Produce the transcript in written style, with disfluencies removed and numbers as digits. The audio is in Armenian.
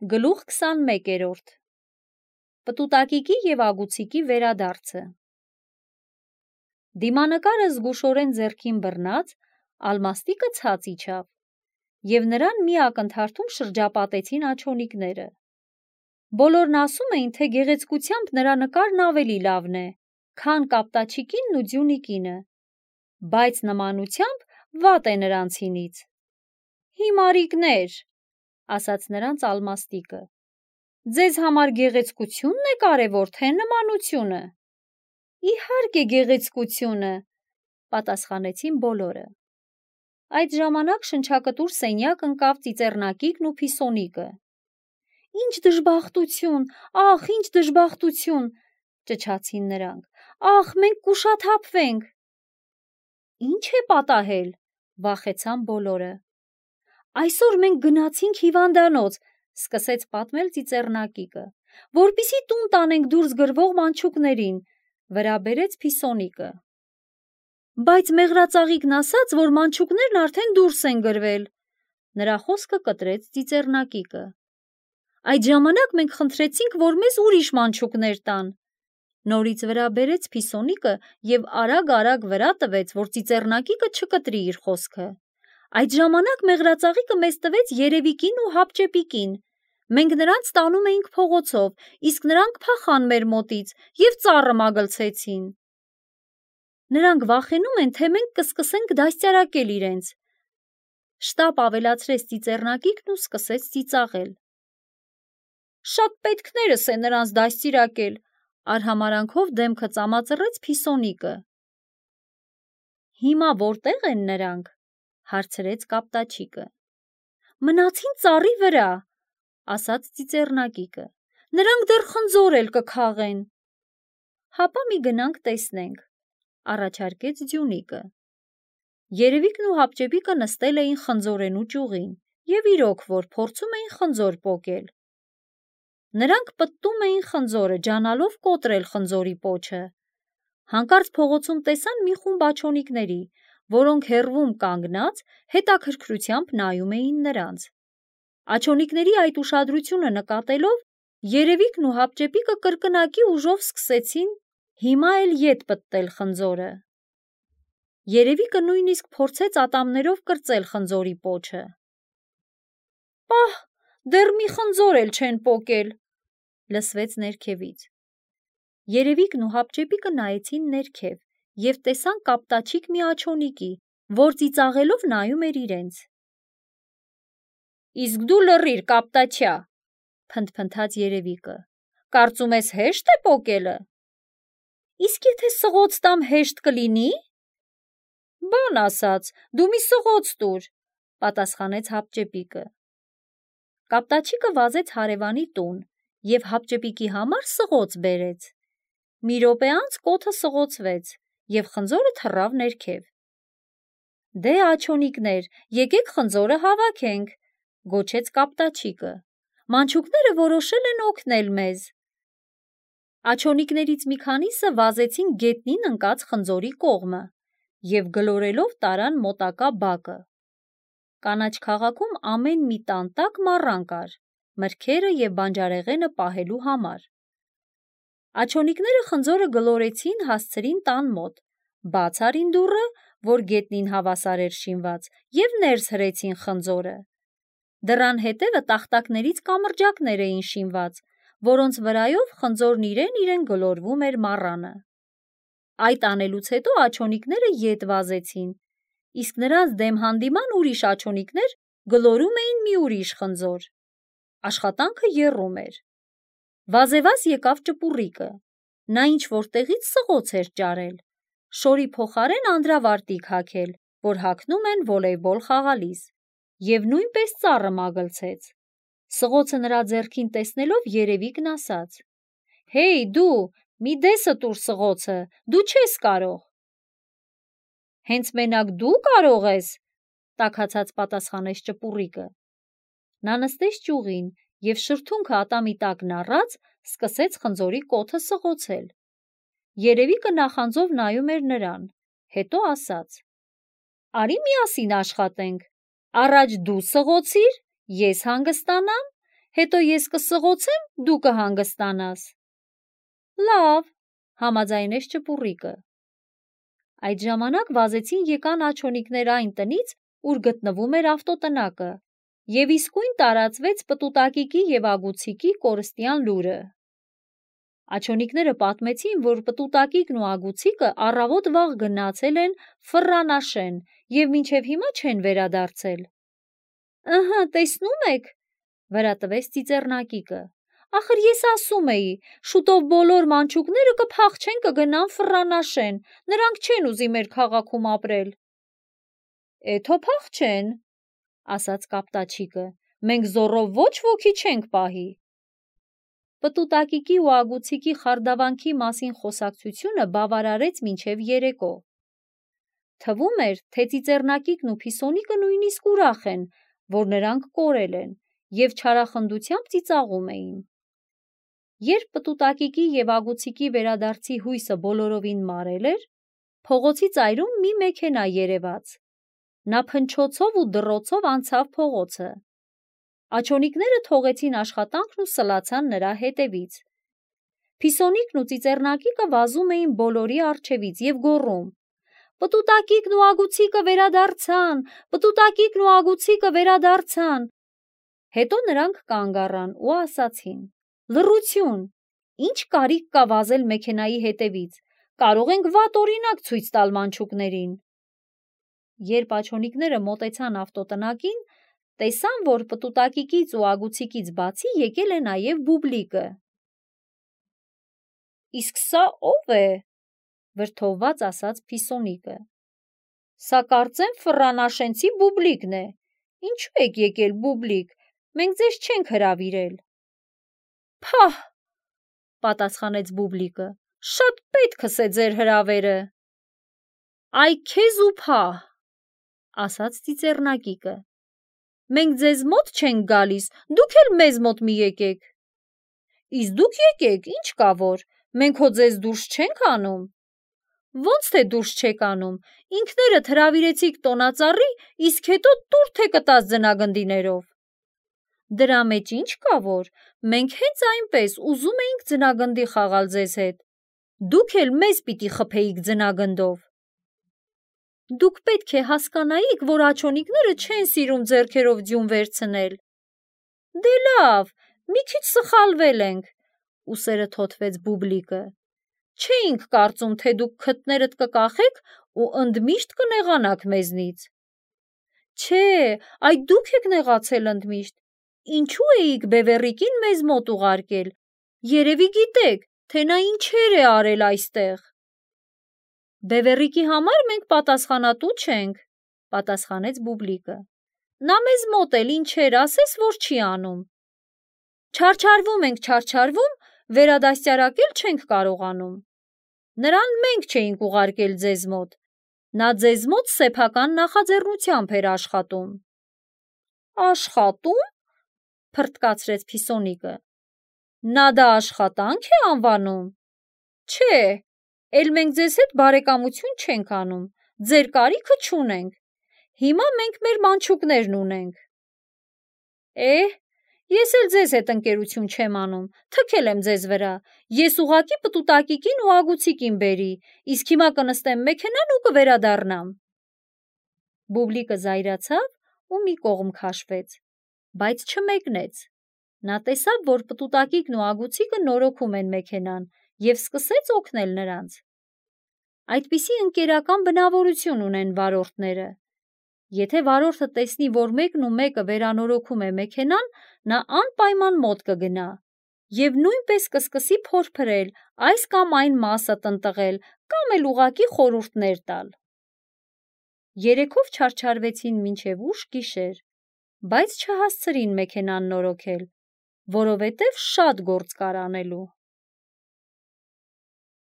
Գլուխ 21 Պտուտակիկի և ագուցիկի վերադարձը Դիմանկարը զգուշորեն ձեռքին բռնած, Ալմաստիկը ցած իջավ, և նրան մի ակնթարթում շրջապատեցին աջոնիկները: Բոլորն ասում էին, թե գեղեցկությամբ նրա նկարն ավելի լավն է, քան կապտաչիկինն ու ձյունիկինը, բայց նմանությամբ վատ է նրանցինից: «Հիմարիկներ», ասաց նրանց Ալմաստիկը, «ձեզ համար գեղեցկությունն է կարևոր, թե նմանությունը»: «Իհարկե գեղեցկությունը», պատասխանեցին բոլորը: Այդ ժամանակ շնչակտուր սենյակ ընկավ ծիծեռնակիկն ու Փիսոնիկը: «Ինչ դժբախտություն, ախ, ինչ դժբախտություն», ճչացին նրանք, «ախ, մենք կուշաթափվենք»: «Ինչ է պատահել», վախեցան բոլորը: «Այսօր մենք գնացինք հիվանդանոց», սկսեց պատմել ծիծեռնակիկը, «որպեսզի տուն տանենք դուրս գրվող մանչուկներին», վրա բերեց Փիսոնիկը: «Բայց մեղրածաղիկն ասաց, որ մանչուկներն արդեն դուրս են գրվել», նրա խոսքը կտրեց ծիծեռնակիկը: «Այդ ժամանակ մենք խնդրեցինք, որ մեզ ուրիշ մանչուկներ տան», նորից վրա բերեց Փիսոնիկը և արագ վրա տվեց, որ ծիծեռնակիկը չկտրի իր խոսքը: «Այդ ժամանակ մեղրածաղիկը մեզ տվեց Երևիկին ու Հապճեպիկին: Մենք նրանց տանում էինք փողոցով, իսկ նրանք փախան մեր մոտից և ծառը մագլցեցին: Նրանք վախենում են, թե մենք կսկսենք դաստիարակել իրենց», շտապ ավելացրեց ծիծեռնակիկն ու սկսեց ծիծաղել: «Շատ պետքներս է նրանց դաստիարակել», արհամարհանքով դեմքը ծամածռեց Փիսոնիկը: «Հիմա որտե՞ղ են նրանք», հարցրեց կապտաչիկը: «Մնացին ծառի վրա», ասաց ծիծեռնակիկը, «նրանք դեռ խնձոր էլ կքաղեն»: «Հապա մի գնանք տեսնենք», առաջարկեց ձյունիկը: Երևիկն ու Հապճեպիկը նստել էին խնձորենու ճյուղին և իրոք որ փորձում էին խնձոր պոկել: Նրանք պտտում էին խնձորը, ջանալով կոտրել խնձորի պոչը: Հանկարծ փողոցում տեսան մի խումբ աջոնիկների, որոնք հեռվում կանգնած հետաքրքրությամբ նայում էին նրանց: Աջոնիկների այդ ուշադրությունը նկատելով, Երևիկն ու Հապճեպիկը կրկնակի ուժով սկսեցին հիմա էլ ետ պտտել խնձորը: Երևիկը նույնիսկ փորձեց ատամներով կրծել խնձորի պոչը: «Պահ, դեռ մի խնձոր էլ չեն պոկել», լսվեց ներքևից: Երևիկն ու Հապճեպիկը նայեցին ներքև և տեսան կապտաչիկ մի աջոնիկի, որ ծիծաղելով նայում էր իրենց: «Իսկ դու լռիր, կապտաչյա», փնթփնթաց Երևիկը, «կարծում ես հեշտ է պոկելը»: «Իսկ եթե սղոց տամ, հեշտ կլինի՞»: «Բան ասած, դու մի սղոց տուր», պատասխանեց Հապճեպիկը: Կապտաչիկը վազեց հարևանի տուն և Հապճեպիկի համար սղոց բերեց: Մի րոպե անց կոթը սղոցվեց և խնձորը թռավ ներքև: «Դե աջոնիկներ, եկեք խնձորը հավաքենք», գոչեց կապտաչիկը, «մանչուկները որոշել են օգնել մեզ»: Աջոնիկներից մի քանիսը վազեցին գետնին ընկած խնձորի կողմը և գլորելով տարան մոտակա բակը: Կանաչ քաղաքում ամեն մի տան տակ մառան կար, մրգերը և բանջարեղենը պահելու համար: Աջոնիկները խնձորը գլորեցին, հասցրին տան մոտ, բաց արին դուռը, որ գետնին հավասար էր շինված, և ներս հրեցին խնձորը: Դռան հետևը տախտակներից կամրջակներ էին շինված, որոնց վրայով խնձորն իրեն գլորվում էր մառանը: Այդ անելուց հետո աջոնիկները ետ վազեցին, իսկ նրանց դեմ հանդիման ուրիշ աջոնիկներ գլորում էին մի ուրիշ խնձոր: Աշխատանքը եռում էր: Վազեվազ եկավ Ճպուռիկը: Նա ինչ-որ տեղից սղոց էր ճարել, շորի փոխարեն անդրավարտիք հագել, որ հագնում են վոլեյբոլ խաղալիս, և նույնպես ծառը մագլցեց: Սղոցը նրա ձեռքին տեսնելով Երևիկն ասաց. «Հեյ դու, մի դեսը տուր սղոցը, դու չես կարող»: «Հենց մենակ դու կարող ես», տաքացած պատասխանեց Ճպուռիկը: Նա նստեց ճյուղին և շրթունքը ատամի տակն առած սկսեց խնձորի կոթը սղոցել: Երևիկը նախանձով նայում էր նրան, հետո ասաց. «Արի միասին աշխատենք, առաջ դու սղոցիր, ես հանգստանամ, հետո ես կսղոցեմ, դու կհանգստանաս։ Լավ, համաձայնեց ճպուռիկը։ Այդ ժամանակ վազեցին եկան աջոնիկներ այն տնից, ուր գտնվում էր ավտոտնակը, և իսկույն տարածվեց պտուտակիկի և ագուցիկի կորստյան լուրը։ Աջոնիկները պատմեցին, որ պտուտակիկն ու ագուցիկը առավոտ վաղ գնացել են Ֆռռանաշեն և մինչև հիմա չեն վերադարձել։ Ըհը, տեսնում եք, վրա տվեց ծիծեռնակիկը, ախր ես ասում էի, շուտով բոլոր մանչուկները կփախչեն կգնան Ֆռռանաշեն, նրանք չեն ուզի մեր քաղաքում ապրել։ Էթո փախչեն, ասաց կապտաչիկը, մենք զոռով ոչ ոքի չենք պահի։ Պտուտակիկի ու ագուցիկի խարդավանքի մասին խոսակցությունը բավարարեց մինչև երեկո։ Թվում էր, թե ծիծեռնակիկն ու Փիսոնիկը նույնիսկ ուրախ են, որ նրանք կորել են, և չարախնդությամբ ծիծաղում էին։ Երբ պտուտակիկի և ագուցիկի վերադարձի հույսը բոլորովին մարել էր, փողոցի ծայրում մի մեքենա երևաց։ Նա փնչոցով ու դռոցով անցավ փողոցը։ Աջոնիկները թողեցին աշխատանքն ու սլացան նրա հետևից։ Փիսոնիկն ու ծիծեռնակիկը վազում էին բոլորի առջևից և գոռում. «Պտուտակիկն ու ագուցիկը վերադարձան, պտուտակիկն ու ագուցիկը վերադարձան»։ Հետո նրանք կանգ առան ու ասացին. «Լռություն, ինչ կարիք կա վազել մեքենայի հետևից, կարող ենք վատ օրինակ ցույց տալ մանչուկներին»։ Երբ աջոնիկները մոտեցան ավտոտնակին, տեսան, որ պտուտակիկից ու ագուցիկից բացի եկել է նաև Բուբլիկը։ Իսկ սա ո՞վ է, վրդովված ասաց Փիսոնիկը։ Սա կարծեմ ֆռռանաշենցի Բուբլիկն է։ Ինչու եք եկել, Բուբլիկ, մենք ձեզ չենք հրավիրել։ Փահ, պատասխանեց Բուբլիկը, շատ պետքս է ձեր հրավերը։ Այ քեզ ու փահ, ասաց ծիծեռնակիկը։ Մենք ձեզ մոտ չենք գալիս, դուք էլ մեզ մոտ մի եկեք։ Իսկ դուք եկեք, ինչ կա որ, մենք հո ձեզ դուրս չենք անում։ Ոնց թե դուրս չեք անում, ինքներդ հրավիրեցիք տոնածառի, իսկ հետո տուր թե կտած ձնագնդիներով։ Դրա մեջ ինչ կա որ, մենք հենց այնպես ուզում էինք ձնագնդի խաղալ ձեզ հետ, դուք էլ մեզ պիտի խփեիք ձնագնդով։ Դուք պետք է հասկանայիք, որ աջոնիկները չեն սիրում ձեռքերով ձյուն վերցնել։ Դե լավ, մի քիչ սխալվել ենք, ուսերը թոթվեց Բուբլիկը։ Չէինք կարծում, թե դուք քթներդ կկախեք ու ընդմիշտ կնեղանաք մեզնից։ Չէ, այ դուք եք նեղացել ընդմիշտ։ Ինչու էիք Բևեռիկին մեզ մոտ ուղարկել։ Երևի գիտեք, թե նա ինչեր է արել այստեղ։ Բևեռիկի համար մենք պատասխանատու չենք, պատասխանեց Բուբլիկը։ Նա մեզ մոտ էլ ինչեր ասես, որ չի անում։ Չարչարվում ենք, չարչարվում, վերադաստիարակել չենք կարողանում։ Նրան մենք չէինք ուղարկել ձեզ մոտ։ Նա ձեզ մոտ սեփական նախաձեռնությամբ էր աշխատում։ Աշխատում, փռթկացրեց Փիսոնիկը։ Նա դա աշխատանք է անվանում։ Չէ, էլ մենք ձեզ հետ բարեկամություն չենք անում, ձեր կարիքը չունենք։ Հիմա մենք մեր մանչուկներն ունենք։ Ես էլ ձեզ հետ ընկերություն չեմ անում, թքել եմ ձեզ վրա, ես ուղղակի պտուտակիկին ու ագուցիկին բերի, իսկ հիմա կնստեմ մեքենան ու կվերադառնամ։ Բուբլիկը զայրացավ ու մի կողմ քաշվեց, բայց չմեկնեց։ Նա տեսավ, որ պտուտակիկն ու ագուցիկը նորոգում են մեքենան և սկսեց օգնել նրանց։ Այդպիսի ընկերական բնավորություն ունեն վարորդները։ Եթե վարորդը տեսնի, որ մեկն ու մեկը վերանորոգում է մեքենան, նա անպայման մոտ կգնա և նույնպես կսկսի փորփրել այս կամ այն մասը տնտղել կամ էլ ուղղակի խորհուրդներ տալ։ Երեքով չարչարվեցին մինչև ուշ գիշեր, բայց չհասցրին մեքենան նորոգել, որովհետև շատ գործ կար անելու։